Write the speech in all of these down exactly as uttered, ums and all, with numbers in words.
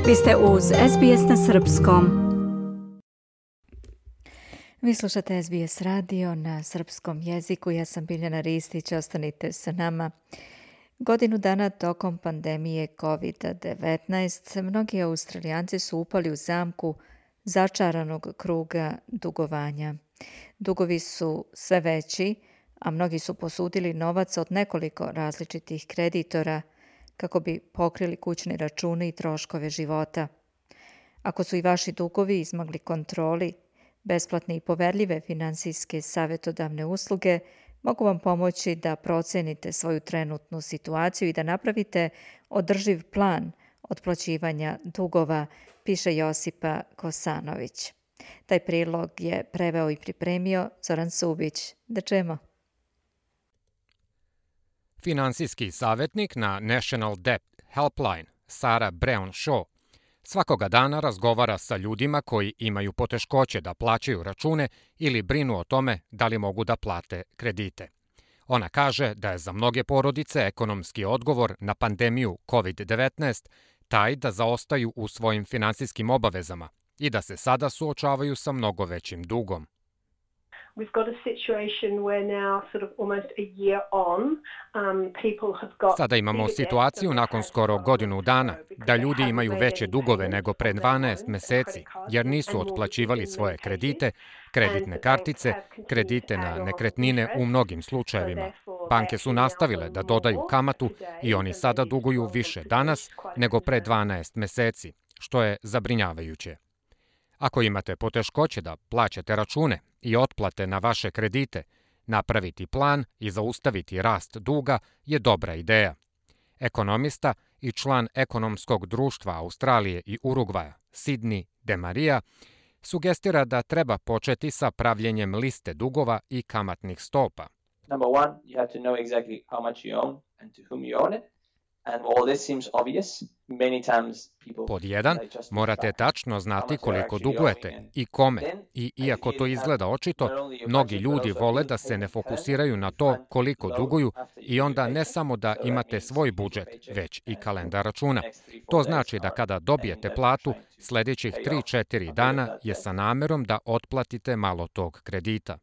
Vi ste uz S B S na srpskom. Vi slušate S B S radio na srpskom jeziku. Ja sam Biljana Ristić, ostanite sa nama. Godinu dana tokom pandemije kovid devetnaest mnogi Australijanci su upali u zamku začaranog kruga dugovanja. Dugovi su sve veći, a mnogi su posudili novac od nekoliko različitih kreditora kako bi pokrili kućne račune i troškove života. Ako su i vaši dugovi izmagli kontroli, besplatne i poverljive finansijske savjetodavne usluge mogu vam pomoći da procenite svoju trenutnu situaciju i da napravite održiv plan otplaćivanja dugova, piše Josipa Kosanović. Taj prilog je preveo i pripremio Zoran Subić. Da čujemo. Finansijski savjetnik na National Debt Helpline, Sarah Brown Shaw, svakoga dana razgovara sa ljudima koji imaju poteškoće da plaćaju račune ili brinu o tome da li mogu da plate kredite. Ona kaže da je za mnoge porodice ekonomski odgovor na pandemiju kovid devetnaest taj da zaostaju u svojim finansijskim obavezama i da se sada suočavaju sa mnogo većim dugom. We've got a situation where now sort of almost a year on, um, people have got... Sada imamo situaciju nakon skoro godinu dana da ljudi imaju veće dugove nego pre dvanaest meseci jer nisu otplaćivali svoje kredite, kreditne kartice, kredite na nekretnine u mnogim slučajevima. Banke su nastavile da dodaju kamatu i oni sada duguju više danas nego pre dvanaest meseci, što je zabrinjavajuće. Ako imate poteškoće da plaćate račune i otplate na vaše kredite, napraviti plan i zaustaviti rast duga je dobra ideja. Ekonomista i član ekonomskog društva Australije i Urugvaja, Sidney DeMaria, sugestira da treba početi sa pravljenjem liste dugova i kamatnih stopa. Number one, you have to know exactly how much you own and to whom you own it. And all this seems obvious. Many times people... Pod jedan, morate tačno znati koliko dugujete i kome. I iako to izgleda očito, mnogi ljudi vole da se ne fokusiraju na to koliko duguju i onda ne samo da imate svoj budžet, već i kalendar računa. To znači da kada dobijete platu, sljedećih tri četiri dana je sa namerom da otplatite malo tog kredita.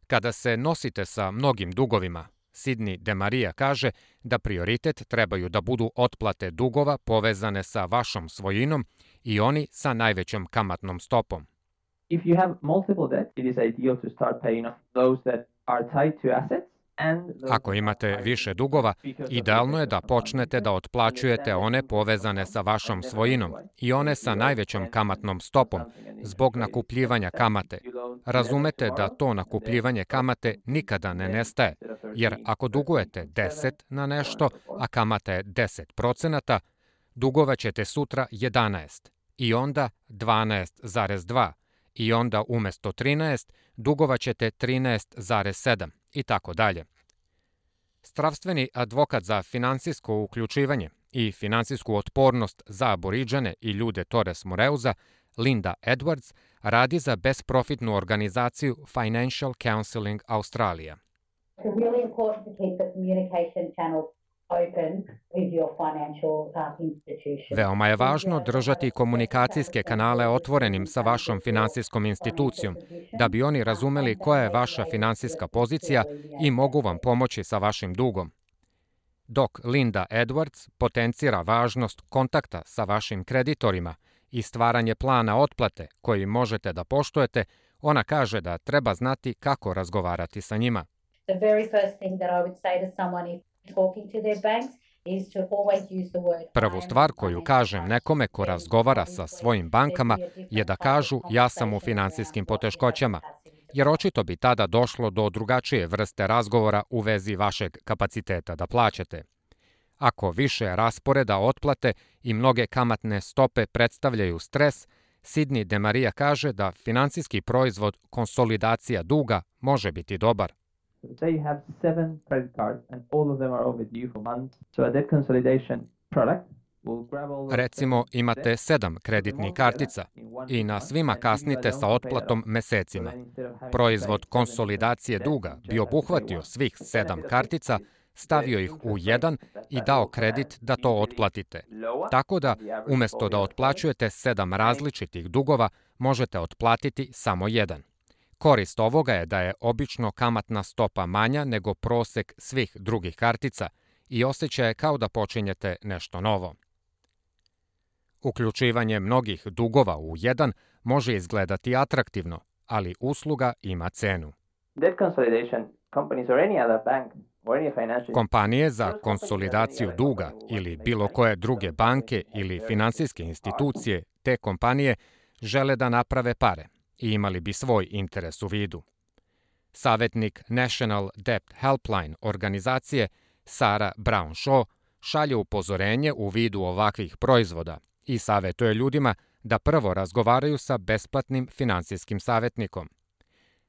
Kada se nosite sa mnogim dugovima, Sidney DeMaria kaže da prioritet trebaju da budu otplate dugova povezane sa vašom svojinom i oni sa najvećom kamatnom stopom. If you have multiple debt, it is ideal to start paying off those that are tied to assets. Ako imate više dugova, idealno je da počnete da otplaćujete one povezane sa vašom svojinom i one sa najvećom kamatnom stopom, zbog nakupljivanja kamate. Razumete da to nakupljivanje kamate nikada ne nestaje, jer ako dugujete deset na nešto, a kamata je deset procenata, dugovaćete sutra jedanaest i onda dvanaest zarez dva i onda umjesto trinaest dugovaćete trinaest zarez sedam. I tako dalje. Zdravstveni advokat za finansijsko uključivanje i finansijsku otpornost za Aboriđane i ljude Torres Moreuza, Linda Edwards, radi za besprofitnu organizaciju Financial Counselling Australia. It's really important to keep the communication channels open with your financial uh, institution. Veoma je važno držati komunikacijske kanale otvorenim sa vašom finansijskom institucijom, da bi oni razumeli koja je vaša finansijska pozicija i mogu vam pomoći sa vašim dugom. Dok Linda Edwards potencira važnost kontakta sa vašim kreditorima i stvaranje plana otplate koji možete da poštujete, ona kaže da treba znati kako razgovarati sa njima. The very first thing that I would say to someone if talking to their banks is to always use the word. Prvu stvar koju kažem nekome ko razgovara sa svojim bankama je da kažu ja sam u finansijskim poteškoćama, jer očito bi tada došlo do drugačije vrste razgovora u vezi vašeg kapaciteta da plaćate. Ako više rasporeda otplate i mnoge kamatne stope predstavljaju stres, Sidney DeMaria kaže da finansijski proizvod konsolidacija duga može biti dobar. Say you have seven credit cards and all of them are overdue for months. So a debt consolidation product will grab all those... Recimo imate sedam kreditnih kartica i na svima kasnite sa otplatom mesecima. Proizvod konsolidacije duga bi obuhvatio svih sedam kartica stavio ih u jedan i dao kredit da to otplatite. Tako da, umjesto da otplaćujete sedam različitih dugova, možete otplatiti samo jedan. Korist ovoga je da je obično kamatna stopa manja nego prosek svih drugih kartica i osjećaj je kao da počinjete nešto novo. Uključivanje mnogih dugova u jedan može izgledati atraktivno, ali usluga ima cenu. Kompanije za konsolidaciju duga ili bilo koje druge banke ili finansijske institucije, te kompanije žele da naprave pare i imali bi svoj interes u vidu. Savjetnik National Debt Helpline organizacije Sarah Brown-Shaw šalje upozorenje u vidu ovakvih proizvoda i savjetuje ljudima da prvo razgovaraju sa besplatnim finansijskim savjetnikom.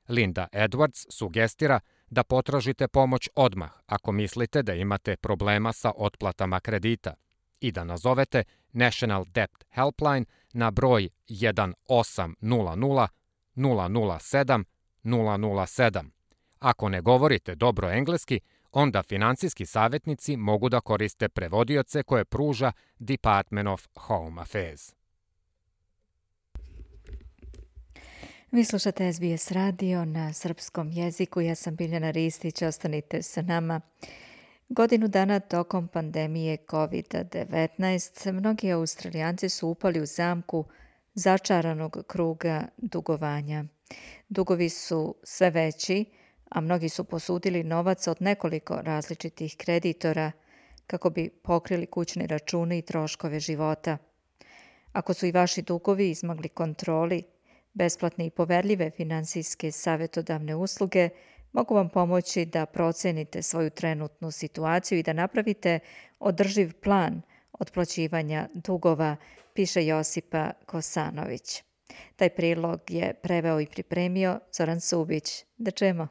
Linda Edwards sugestira da potražite pomoć odmah ako mislite da imate problema sa otplatama kredita i da nazovete National Debt Helpline na broj jedan osam nula nula nula nula sedam nula nula sedam. Ako ne govorite dobro engleski, onda finansijski savjetnici mogu da koriste prevodioce koje pruža Department of Home Affairs. Vi slušate S B S radio na srpskom jeziku. Ja sam Biljana Ristić, ostanite sa nama. Godinu dana tokom pandemije kovid devetnaest mnogi Australijanci su upali u zamku začaranog kruga dugovanja. Dugovi su sve veći, a mnogi su posudili novac od nekoliko različitih kreditora kako bi pokrili kućne račune i troškove života. Ako su i vaši dugovi izmogli kontroli, besplatne i poverljive finansijske savjetodavne usluge mogu vam pomoći da procenite svoju trenutnu situaciju i da napravite održiv plan otplaćivanja dugova, piše Josipa Kosanović. Taj prilog je preveo i pripremio Zoran Subić. Da čujemo.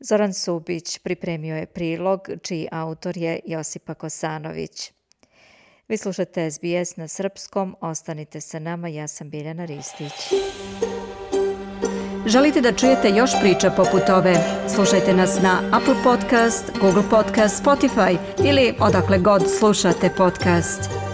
Zoran Subić pripremio je prilog čiji autor je Josipa Kosanović. Vi slušate S B S na srpskom, ostanite sa nama, ja sam Biljana Ristić. Želite da čujete još priča poput ove? Slušajte nas na Apple Podcast, Google Podcast, Spotify ili odakle god slušate podcast.